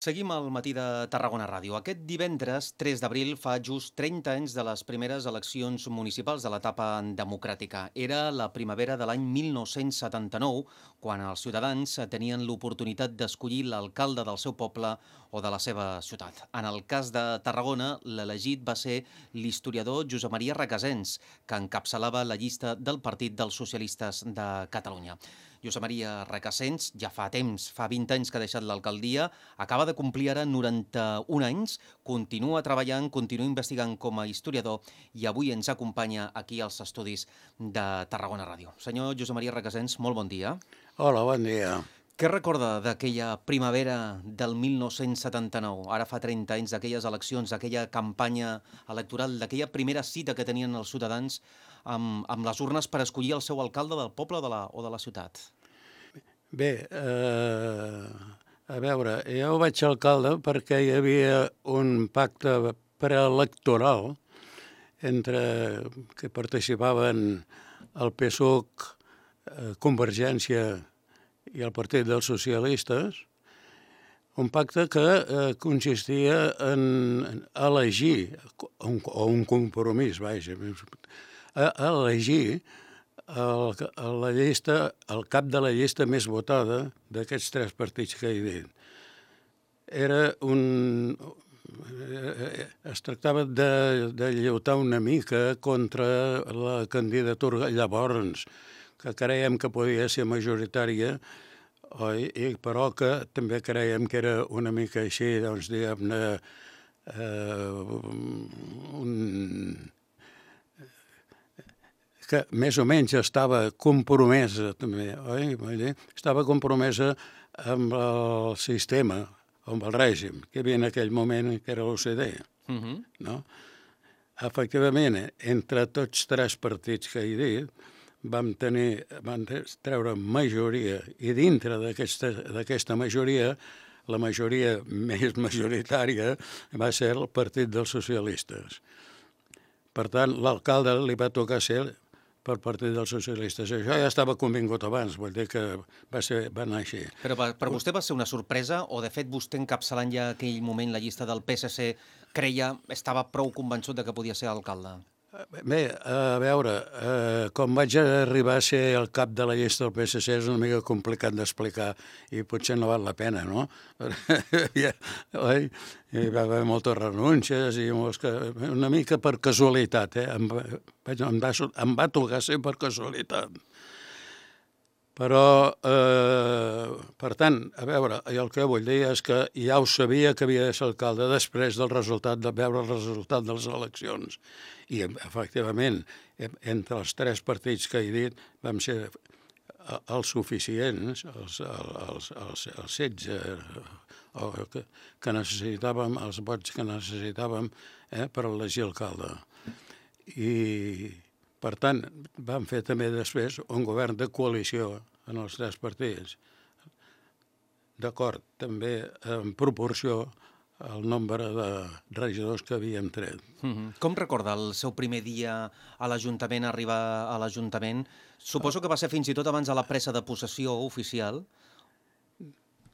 Seguim al matí de Tarragona Ràdio. Aquest divendres, 3 d'abril, fa just 30 anys de les primeres eleccions municipals de l'etapa democràtica. Era la primavera de l'any 1979, quan els ciutadans tenien l'oportunitat d'escollir l'alcalde del seu poble o de la seva ciutat. En el cas de Tarragona, l'elegit va ser l'historiador Josep Maria Requesens, que encapçalava la llista del Partit dels Socialistes de Catalunya. Josep Maria Requesens ja fa temps, fa 20 anys que ha deixat l'alcaldia, acaba de complir ara 91 anys, continua treballant, continua investigant com a historiador i avui ens acompanya aquí als estudis de Tarragona Ràdio. Senyor Josep Maria Requesens, molt bon dia. Hola, bon dia. Què recorda d'aquella primavera del 1979, ara fa 30 anys, d'aquelles eleccions, d'aquella campanya electoral, d'aquella primera cita que tenien els ciutadans amb les urnes per escollir el seu alcalde del poble o de la ciutat? Bé, a veure, jo vaig alcalde perquè hi havia un pacte preelectoral entre que participaven el PSUC, Convergència i el Partit dels Socialistes, un pacte que consistia en elegir, o un compromís, vaja, elegir el cap de la llista més votada d'aquests tres partits que he dit. Es tractava de lluitar una mica contra la candidatura llavors, que creiem que podia ser majoritària, però que també creiem que era una mica així, doncs, diguem-ne, que més o menys estava compromesa, també, oi? Estava compromesa amb el sistema, amb el règim, que hi havia en aquell moment, que era l'OCDE, no? Efectivament, entre tots tres partits que he dit, van treure majoria, i dintre d'aquesta majoria, la majoria més majoritària va ser el Partit dels Socialistes. Per tant, l'alcalde li va tocar ser per Partit dels Socialistes. Això ja estava convingut abans, vull dir que va anar així. Però per vostè va ser una sorpresa o, de fet, vostè encapçalant ja aquell moment la llista del PSC estava prou convençut de que podia ser alcalde? Bé, a veure, com vaig arribar a ser el cap de la llista del PSC és una mica complicat d'explicar i potser no val la pena, no? Hi va haver moltes renúncies i una mica per casualitat, em va tocar ser per casualitat. Però, per tant, a veure, el que vull dir és que ja ho sabia que havia de ser alcalde després de veure el resultat de les eleccions. I, efectivament, entre els tres partits que he dit, vam ser els suficients, els 16 que necessitàvem, els vots que necessitàvem per elegir alcalde. I, per tant, vam fer també després un govern de coalició en els tres partits, d'acord també en proporció al nombre de regidors que havíem tret. Com recorda el seu primer dia a l'Ajuntament, arribar a l'Ajuntament? Suposo que va ser fins i tot abans de la presa de possessió oficial.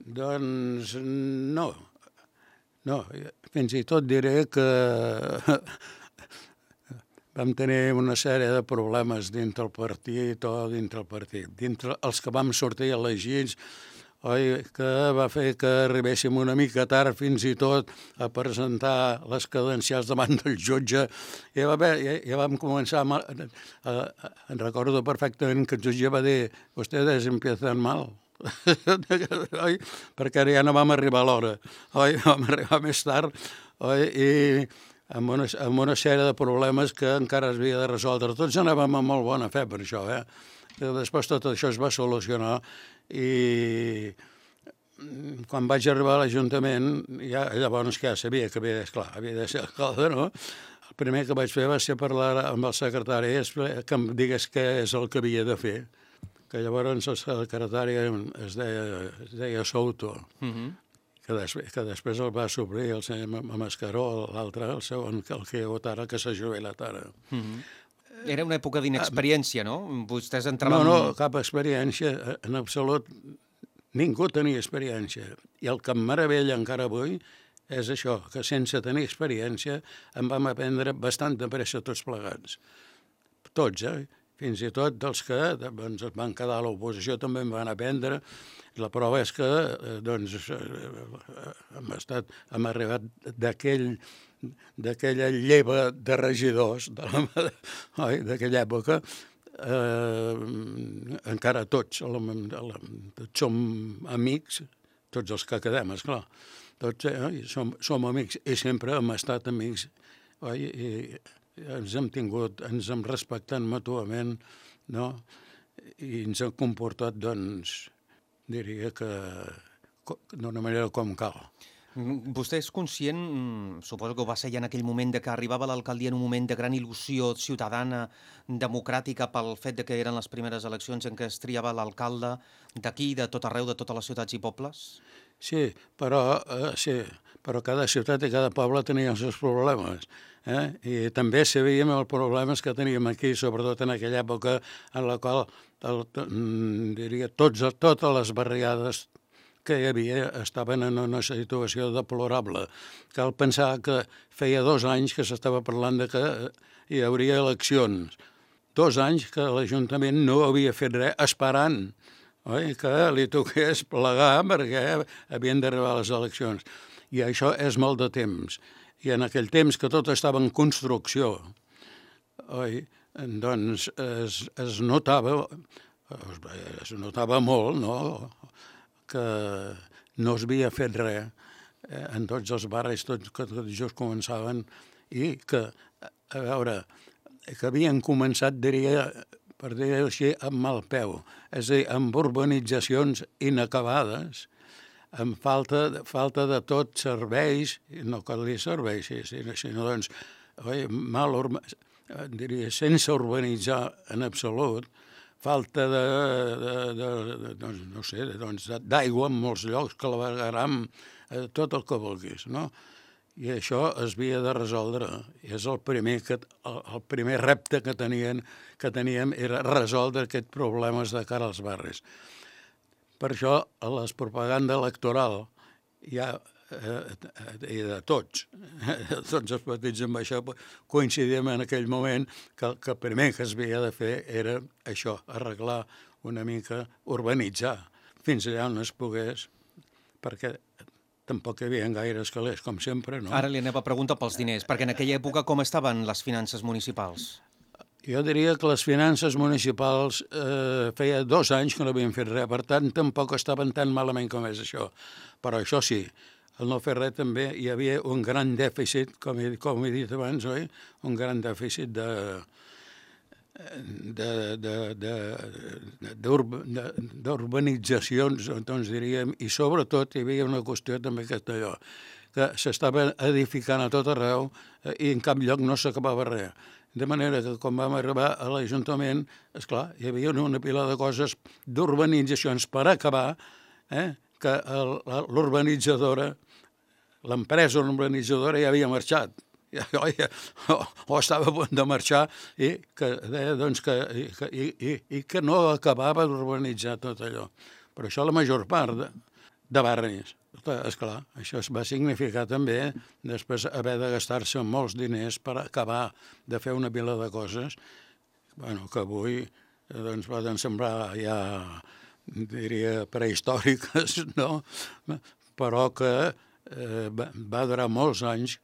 Doncs no, fins i tot diré que vam tenir una sèrie de problemes dintre el partit. Dintre els que vam sortir elegits, que va fer que arribéssim una mica tard fins i tot a presentar les credencials davant del jutge. Ja vam començar, em recordo perfectament que el jutge va dir «Ustedes empiezan mal». Perquè ja no vam arribar a l'hora, vam arribar més tard, i amb una sèrie de problemes que encara es havia de resoldre. Tots anàvem amb molt bona fe per això, Després tot això es va solucionar i quan vaig arribar a l'Ajuntament, llavors ja sabia que havia de ser alcalde, no? El primer que vaig fer va ser parlar amb el secretari que em digués què és el que havia de fer, que llavors el secretari es deia Souto, que després el va suplir el senyor Mascaró, l'altre, el segon, el que hi ha hagut ara, que s'ha jubilat ara. Era una època d'inexperiència, no? Vostès entraven... No, cap experiència, en absolut ningú tenia experiència. I el que em meravella encara avui és això, que sense tenir experiència en vam aprendre bastant de pressa tots plegats. Tots, fins i tot dels que doncs, es van quedar a l'oposició també en van aprendre. La prova és que hem arribat d'aquella lleva de regidors d'aquella època, encara tots som amics, tots els que quedem, esclar. Tots som amics i sempre hem estat amics, i ens hem respectat mútuament, no? I ens hem comportat, doncs, diria que d'una manera com cal. Vostè és conscient, suposo que ho va ser ja en aquell moment, de que arribava a l'alcaldia en un moment de gran il·lusió ciutadana, democràtica, pel fet de que eren les primeres eleccions en què es triava l'alcalde d'aquí, de tot arreu, de totes les ciutats i pobles? Sí, però cada ciutat i cada poble tenia els seus problemes. I també sabíem els problemes que teníem aquí, sobretot en aquella època en la qual, diria, totes les barriades que hi havia estaven en una situació deplorable. Cal pensar que feia 2 anys que s'estava parlant de que hi hauria eleccions. 2 anys que l'Ajuntament no havia fet res, esperant que li toqués plegar perquè havien d'arribar les eleccions. I això és molt de temps. I en aquell temps que tot estava en construcció, doncs es notava molt, no?, que no es havia fet res en tots els barris, que tot just començaven, i que, a veure, que havien començat, diria, per dir-ho així, amb mal peu, és a dir, amb urbanitzacions inacabades, amb falta de tots serveis, no cal dir serveis, sinó doncs, diria, sense urbanitzar en absolut, falta d'aigua en molts llocs, clavegueram, tot el que vulguis, no? I això es havia de resoldre. I és el primer repte que teníem era resoldre aquests problemes de cara als barris. Per això, a la propaganda electoral ja i de tots els partits amb això coincidíem en aquell moment que el primer que es havia de fer era això, arreglar una mica, urbanitzar, fins allà on es pogués, perquè tampoc hi havia gaires calés, com sempre, no? Ara li anava a preguntar pels diners, perquè en aquella època com estaven les finances municipals? Jo diria que les finances municipals feia 2 anys que no havien fet res, per tant tampoc estaven tan malament com és això. Però això sí, al no fer res també hi havia un gran dèficit, com he dit abans, oi? Un gran dèficit d'urbanitzacions, doncs diríem, i sobretot hi havia una qüestió també que allò, que s'estava edificant a tot arreu i en cap lloc no s'acabava res. De manera que quan vam arribar a l'Ajuntament, esclar, hi havia una pila de coses d'urbanitzacions per acabar, que l'urbanitzadora, l'empresa urbanitzadora ja havia marxat, o estava a punt de marxar, i que deia doncs, que no acabava d'urbanitzar tot allò. Però això la major part de barris. Esclar, això va significar també després haver de gastar-se molts diners per acabar de fer una pila de coses que avui doncs, poden semblar ja, diria, prehistòriques, no? Però que va durar molts anys,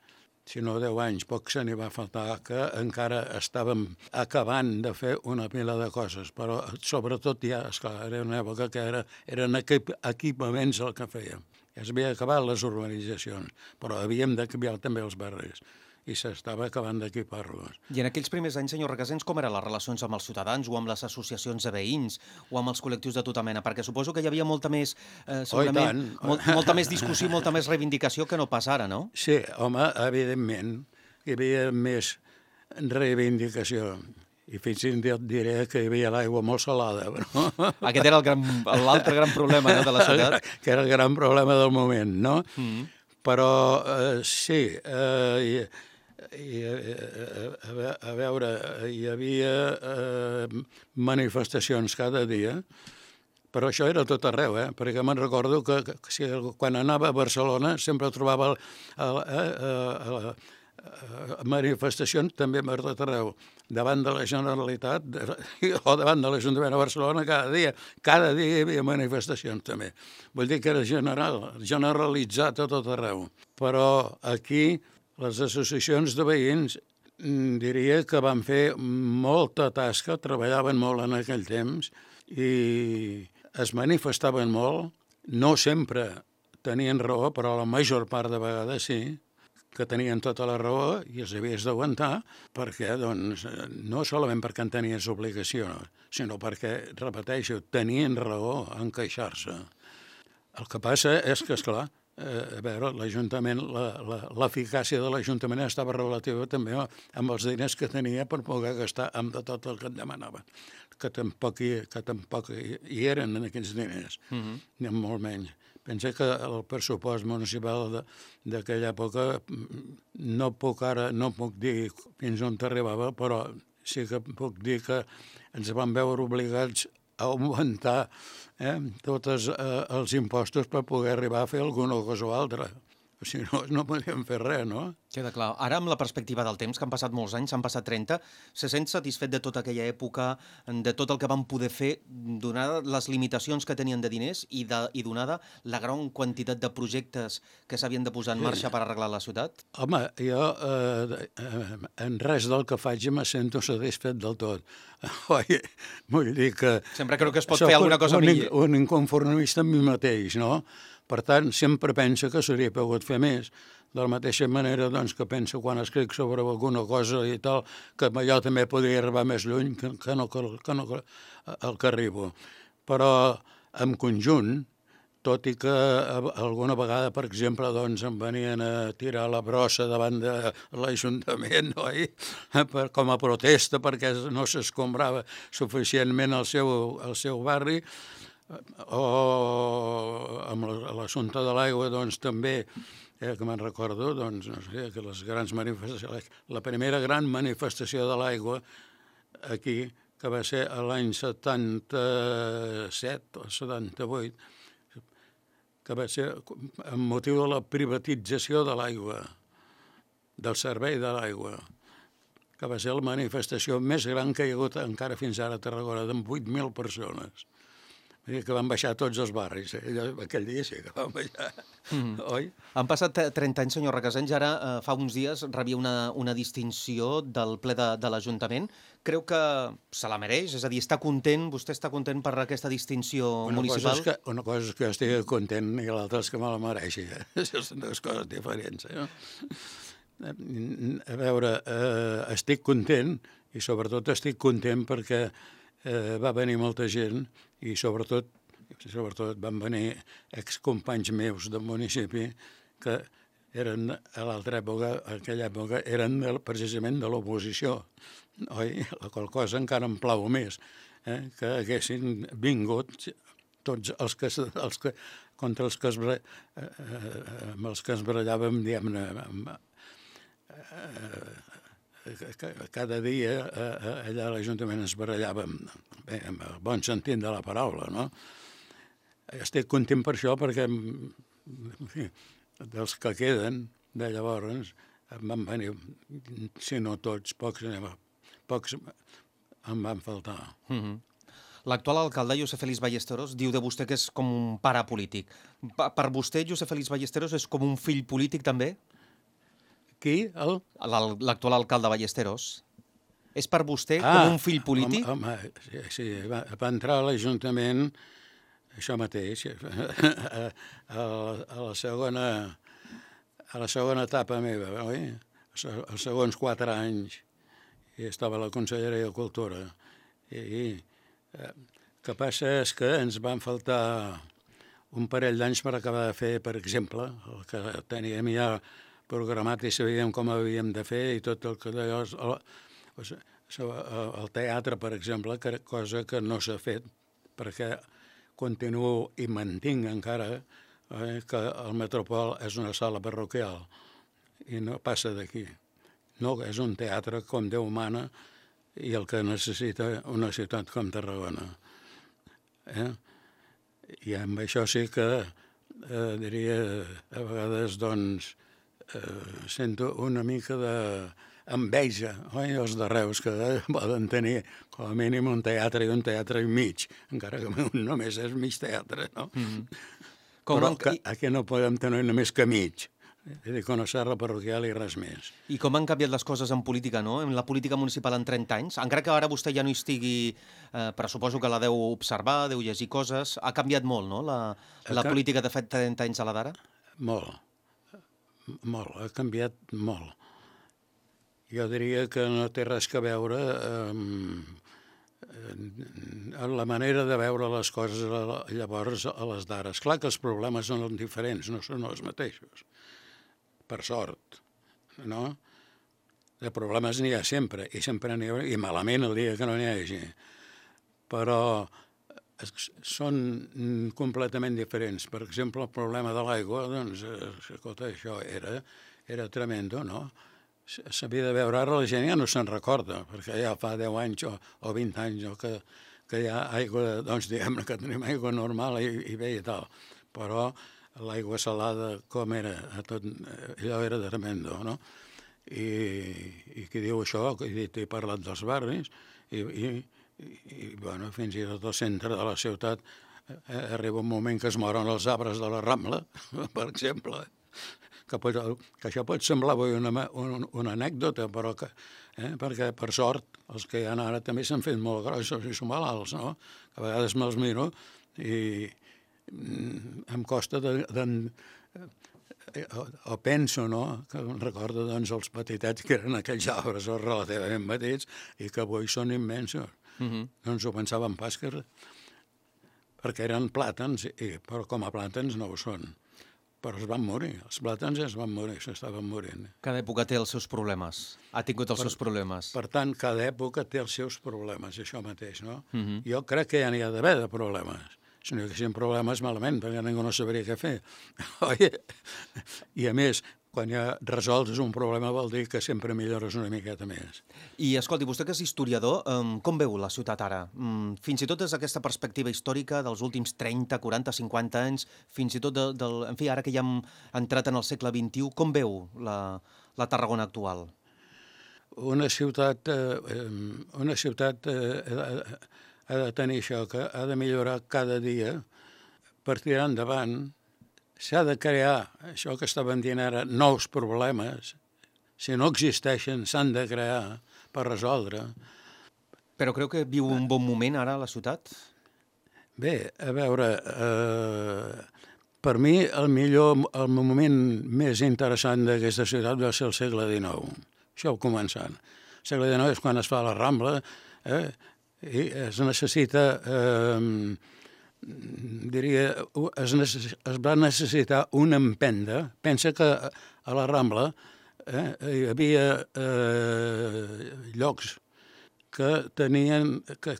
si no 10 anys, poc se n'hi va faltar, que encara estàvem acabant de fer una pila de coses, però sobretot ja, esclar, era una època que eren equipaments el que fèiem. Ja s'havia acabat les urbanitzacions, però havíem d'acabar també els barris, i s'estava acabant d'equipar-los. I en aquells primers anys, senyor Requesens, com eren les relacions amb els ciutadans o amb les associacions de veïns o amb els col·lectius de tota mena? Perquè suposo que hi havia molta més, segurament, molta més discussió, molta més reivindicació que no pas ara, no? Sí, home, evidentment, hi havia més reivindicació. I fins i tot diré que hi havia l'aigua molt salada. Però... Aquest era l'altre gran problema, no, de la ciutat. Que era el gran problema del moment, no? Però sí, a veure, hi havia manifestacions cada dia Però això era tot arreu, perquè me'n recordo que si, quan anava a Barcelona sempre trobava manifestacions també per tot arreu, davant de la Generalitat o davant de l'Ajuntament de Barcelona cada dia hi havia manifestacions també. Vull dir que era generalitzat a tot arreu. Però aquí les associacions de veïns diria que van fer molta tasca, treballaven molt en aquell temps i es manifestaven molt, no sempre tenien raó, però la major part de vegades sí, que tenien tota la raó i els havies d'aguantar perquè, doncs, no solament perquè en tenies obligació, sinó perquè, repeteixo, tenien raó en queixar-se. El que passa és que, esclar, a veure, l'Ajuntament, l'eficàcia de l'Ajuntament estava relativa també amb els diners que tenia per poder gastar amb de tot el que et demanaven, que tampoc hi eren en aquells diners, ni molt menys. Pensa que el pressupost municipal d'aquella època no puc dir fins on arribava, però sí que puc dir que ens vam veure obligats a augmentar tots els impostos per poder arribar a fer alguna cosa o altra. Si no, no podíem fer res, no? Queda clar. Ara, amb la perspectiva del temps, que han passat molts anys, han passat 30, se sent satisfet de tota aquella època, de tot el que van poder fer, donada les limitacions que tenien de diners i donada la gran quantitat de projectes que s'havien de posar en marxa per arreglar la ciutat? Home, jo en res del que faig me sento satisfet del tot. Oi? Vull dir que... Sempre crec que es pot fer alguna cosa millor. Un inconformista amb mi mateix, no? Per tant, sempre penso que s'hauria pogut fer més. De la mateixa manera doncs, que penso quan escric sobre alguna cosa i tal, que jo també podria arribar més lluny que no el que arribo. Però, en conjunt, tot i que alguna vegada, per exemple, doncs, em venien a tirar la brossa davant de l'Ajuntament, oi? Com a protesta perquè no s'escombrava suficientment el seu barri, o amb l'assumpte de l'aigua, doncs, també, que me'n recordo, doncs, no sé, que les grans manifestacions, la primera gran manifestació de l'aigua aquí, que va ser l'any 77 o 78, que va ser amb motiu de la privatització de l'aigua, del servei de l'aigua, que va ser la manifestació més gran que hi ha hagut encara fins ara a Tarragona, d'en 8.000 persones. Que van baixar tots els barris. Aquell dia sí que van baixar, oi? Han passat 30 anys, senyor Requesens, i ara fa uns dies rebia una distinció del ple de l'Ajuntament. Creu que se la mereix? És a dir, està content, vostè està content per aquesta distinció municipal? Una cosa és que jo estigui content i l'altra és que me la mereixi. Són dues coses diferents. A veure, estic content i sobretot estic content perquè va venir molta gent i sobretot van venir excompanys meus del municipi que eren a l'altra època, a aquella època, eren precisament de l'oposició, oi? La qual cosa encara em plau més, que haguessin vingut tots els que contra els que es barallàvem, diguem-ne, cada dia allà a l'Ajuntament ens barallàvem, bé, amb el bon sentit de la paraula, no? Estic content per això perquè dels que queden de llavors em van venir, si no tots, pocs em van faltar. L'actual alcalde, Josep Félix Ballesteros, diu de vostè que és com un pare polític. Per vostè, Josep Félix Ballesteros és com un fill polític també? Qui? L'actual alcalde Ballesteros. És per vostè com un fill polític? Home, sí, va entrar a l'Ajuntament, això mateix, a la segona etapa meva, oi? Els segons 4 anys, i estava a la Conselleria de Cultura. I el que passa és que ens van faltar un parell d'anys per acabar de fer, per exemple, el que teníem ja programat i sabíem com havíem de fer i tot el que d'allò... El teatre, per exemple, cosa que no s'ha fet, perquè continuo i mantinc encara que el Metropol és una sala parroquial i no passa d'aquí. No, és un teatre com Déu mana i el que necessita una ciutat com Tarragona. I amb això sí que diria, a vegades, doncs, sento una mica d'enveja, oi? Els de Reus, que poden tenir com a mínim un teatre i mig, encara que només és mig teatre, no? Però aquí no podem tenir només que mig. És a dir, que una serra parroquial i res més. I com han canviat les coses en política, no? En la política municipal en 30 anys? Encara que ara vostè ja no hi estigui, però suposo que la deu observar, deu llegir coses. Ha canviat molt, no?, la política de fet 30 anys a la d'ara? Molt, ha canviat molt. Jo diria que no té res a veure amb la manera de veure les coses llavors a les d'ara. És clar que els problemes són diferents, no són els mateixos. Per sort, no? De problemes n'hi ha sempre, i sempre n'hi ha, i malament el dia que no n'hi hagi. Però són completament diferents. Per exemple, el problema de l'aigua, doncs, escolta, això era tremendo, no? S'havia de veure, ara la gent ja no se'n recorda, perquè ja fa 10 anys o 20 anys que hi ha aigua, doncs diguem que tenim aigua normal i bé i tal, però l'aigua salada com era, allò era tremendo, no? I qui diu això, he parlat dels barris, i bueno, fins i tot al centre de la ciutat arriba un moment que es moren els arbres de la Rambla, per exemple, que això pot semblar una anècdota, però perquè per sort els que hi ha ara també s'han fet molt grossos i són malalts, no? Que a vegades me'ls miro i em costa o penso, no?, que recordo doncs els petitets que eren aquells arbres relativament petits i que avui són immensos. No ens ho pensàvem pas perquè eren plàtans, però com a plàtans no ho són. Però es van morir, els plàtans es van morir, s'estaven morint. Cada època té els seus problemes, ha tingut els seus problemes. Per tant, cada època té els seus problemes, això mateix, no? Jo crec que ja n'hi ha d'haver de problemes. Si no hi haguessin problemes, malament, perquè ningú no sabria què fer. I a més, quan ja resolts un problema vol dir que sempre millores una miqueta més. I escolti, vostè que és historiador, com veu la ciutat ara? Fins i tot des d'aquesta perspectiva històrica dels últims 30, 40, 50 anys, fins i tot en fi, ara que ja hem entrat en el segle XXI, com veu la Tarragona actual? Una ciutat ha de tenir això, que ha de millorar cada dia per tirar endavant. S'ha de crear, això que estàvem dient ara, nous problemes. Si no existeixen, s'han de crear per resoldre. Però creu que viu un bon moment ara la ciutat? Bé, a veure, per mi el moment més interessant d'aquesta ciutat va ser el segle XIX. Això començant. El segle XIX és quan es fa la Rambla, i es necessita... diria, es va necessitar una empenta. Pensa que a la Rambla hi havia llocs que tenien que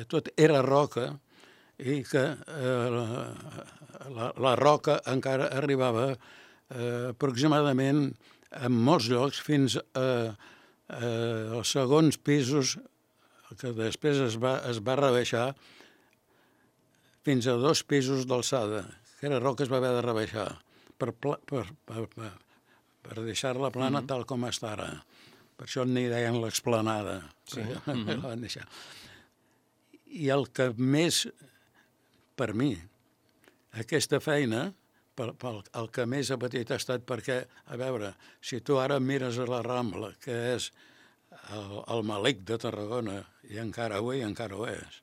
tot era roca i que la roca encara arribava aproximadament en molts llocs fins als segons pisos, que després es va rebaixar fins a 2 pisos d'alçada, que era roca que es va haver de rebaixar per deixar-la plana tal com està ara. Per això n'hi deien l'explanada. Sí. La van deixar. I el que més, per mi, aquesta feina, el que més ha patit ha estat perquè, a veure, si tu ara mires a la Rambla, que és el malic de Tarragona, i encara avui encara ho és,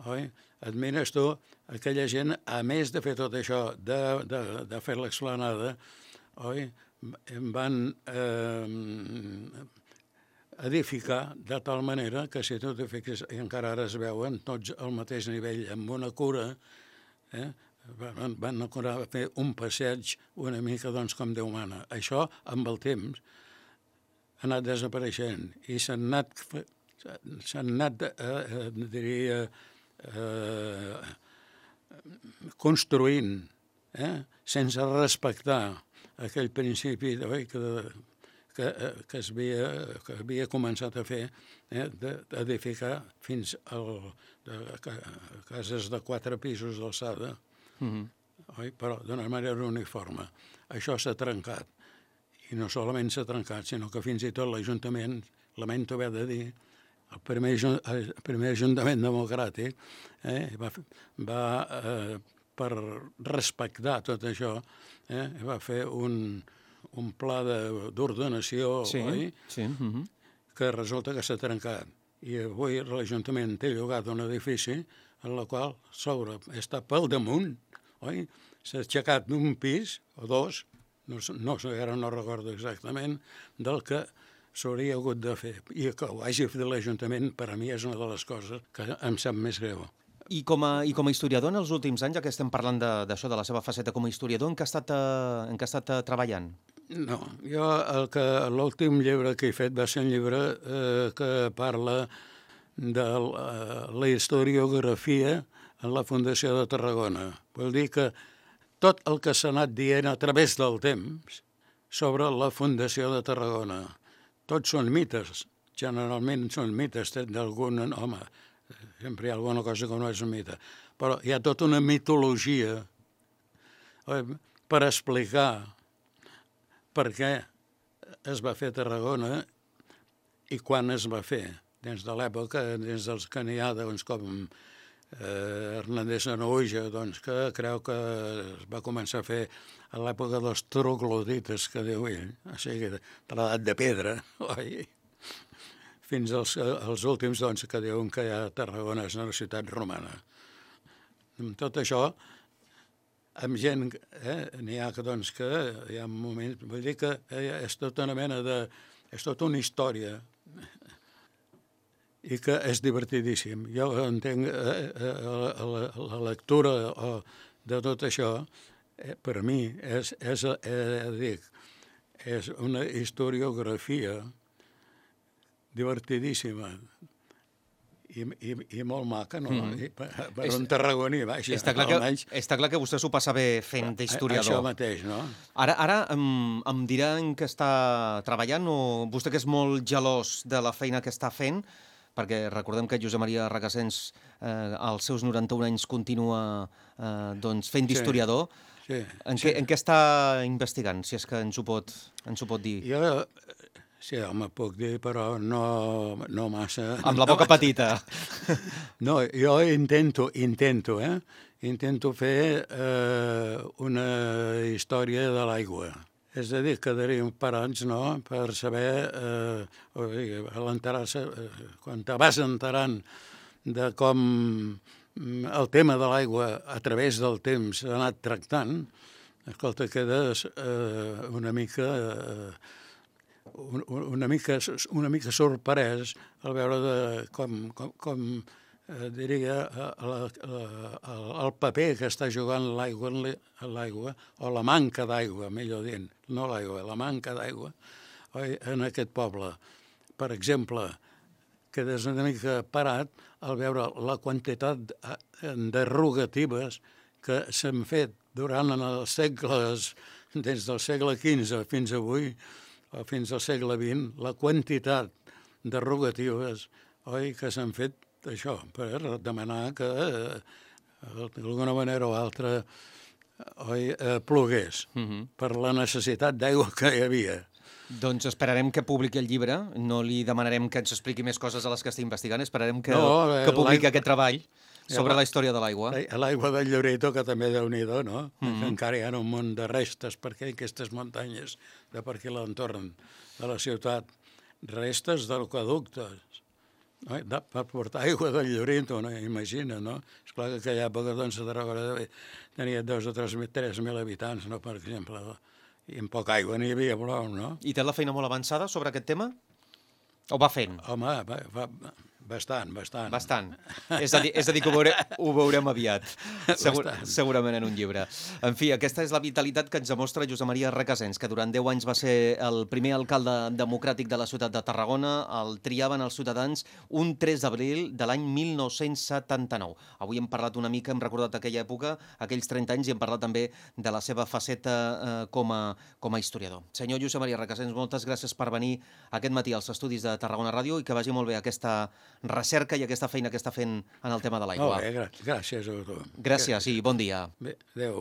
oi? Et mires tu, aquella gent, a més de fer tot això, de fer l'explanada, oi? Van edificar de tal manera que si tu t'hi fixes, i encara ara es veuen tots al mateix nivell, amb una cura, van acurar a fer un passeig una mica doncs, com Déu mana. Això, amb el temps, ha anat desapareixent i s'han anat diria, construint, sense respectar aquell principi que havia començat a fer, d'edificar fins a cases de 4 pisos d'alçada, però d'una manera uniforme. Això s'ha trencat. I no solament s'ha trencat, sinó que fins i tot l'Ajuntament, lamento haver de dir, el primer Ajuntament democràtic va per respectar tot això, va fer un pla d'ordenació, oi? Sí. Que resulta que s'ha trencat. I avui l'Ajuntament té llogat un edifici en el qual sobre està pel damunt, oi? S'ha aixecat d'un pis o 2, no sé, ara no recordo exactament, del que s'hauria hagut de fer. I que ho hagi fet l'Ajuntament, per a mi, és una de les coses que em sap més greu. I com a historiador, en els últims anys, ja que estem parlant d'això, de la seva faceta com a historiador, en què ha estat treballant? No, jo l'últim llibre que he fet va ser un llibre que parla de la historiografia en la Fundació de Tarragona. Vol dir que tot el que s'ha anat dient a través del temps sobre la Fundació de Tarragona, tots són mites, generalment són mites d'algun home, sempre hi ha alguna cosa que no és un mite, però hi ha tota una mitologia per explicar per què es va fer Tarragona i quan es va fer, des de l'època, des dels que n'hi ha, doncs, com Hernández Sanaüja, doncs, que creu que es va començar a fer a l'època dels troglodites, que diu ell, o sigui, de l'edat de pedra, oi? Fins als últims, doncs, que diuen que ja Tarragona és una ciutat romana. Amb tot això, amb gent, n'hi ha que, doncs, que hi ha moments, vull dir que és tota una mena de... és tota una història i que és divertidíssim. Jo entenc la lectura de tot això, per a mi, és una historiografia divertidíssima i molt maca, no? Per un tarragoní, vaja. Està clar que vostè s'ho passa bé fent d'historiador. Això mateix, no? Ara em dirà en què està treballant, o vostè que és molt gelós de la feina que està fent, perquè recordem que Josep Maria Recasens als seus 91 anys continua fent d'historiador. Sí. En què està investigant, si és que ens ho pot dir? Jo, sí, home, puc dir, però no massa. Amb la boca petita. No, jo intento fer una història de l'aigua. És a dir, quedaríem parats, no?, per saber, quan te vas enterant de com el tema de l'aigua a través del temps s'ha anat tractant, escolta, quedes una mica sorprès al veure com diria, el paper que està jugant l'aigua, o la manca d'aigua, millor dient, no l'aigua, la manca d'aigua, en aquest poble. Per exemple, quedes una mica parat al veure la quantitat de rogatives que s'han fet durant els segles, des del segle XV fins avui, o fins al segle XX, la quantitat de rogatives que s'han fet això, per demanar que d'alguna manera o altra plogués per la necessitat d'aigua que hi havia. Doncs esperarem que publiqui el llibre, no li demanarem que ens expliqui més coses a les que està investigant, esperarem que publiqui aquest treball sobre la història de l'aigua. L'aigua del Lloreto, que també déu-n'hi-do, no? Encara hi ha un munt de restes per aquestes muntanyes de per aquí l'entorn de la ciutat, restes d'aqüeductes, per portar aigua del Lloreto, no? Imagina, no? Esclar que aquella època, doncs, a Tarragona tenia 2 o 3.000 habitants, no?, per exemple, i amb poca aigua n'hi havia prou, no? I té la feina molt avançada sobre aquest tema? O va fent? Home, Bastant, bastant. Bastant. És a dir que ho veurem aviat, segurament en un llibre. En fi, aquesta és la vitalitat que ens demostra Josep Maria Recasens, que durant 10 anys va ser el primer alcalde democràtic de la ciutat de Tarragona. El triaven els ciutadans un 3 d'abril de l'any 1979. Avui hem parlat una mica, hem recordat aquella època, aquells 30 anys, i hem parlat també de la seva faceta com a historiador. Senyor Josep Maria Recasens, moltes gràcies per venir aquest matí als estudis de Tarragona Ràdio i que vagi molt bé aquesta recerca i aquesta feina que està fent en el tema de l'aigua. Molt bé, gràcies a tu. Gràcies i bon dia. Bé, adéu.